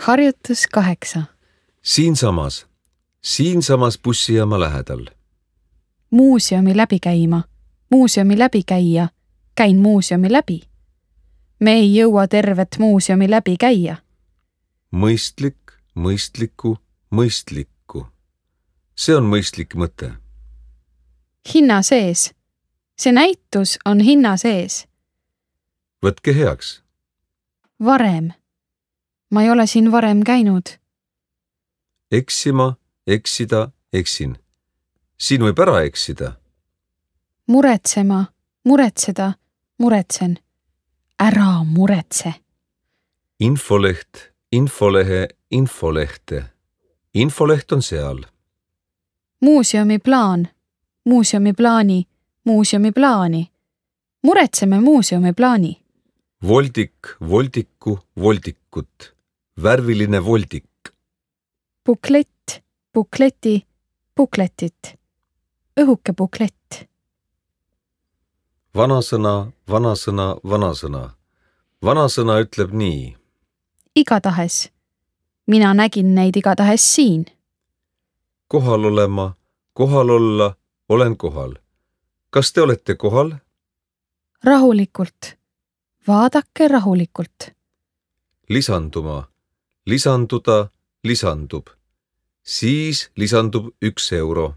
Harjutus 8. Siinsamas bussijaama lähedal. Muuseumi läbi käima. Muuseumi läbi käia. Käin muuseumi läbi. Me ei jõua tervet muuseumi läbi käia. Mõistlik, mõistlikku. See on mõistlik mõte. Hinna sees. See näitus on hinna sees. Võtke heaks. Varem. Ma ei ole siin varem käinud. Eksima, eksida, eksin. Siin võib ära eksida. Muretsema, muretseda, muretsen. Ära muretse. Infoleht, infolehe, infolehte. Infoleht on seal. Muuseumi plaan, muuseumi plaani, muuseumi plaani. Muretseme muuseumi plaani. Voldik, voldiku, voldikut. Värviline voldik. Buklett, bukleti, bukletit. Õhuke buklett. Vanasõna. Vanasõna ütleb nii. Igatahes. Mina nägin neid igatahes siin. Kohal olema, kohal olla, olen kohal. Kas te olete kohal? Rahulikult. Vaadake rahulikult. Lisanduma, lisanduda, lisandub. Siis lisandub 1 euro.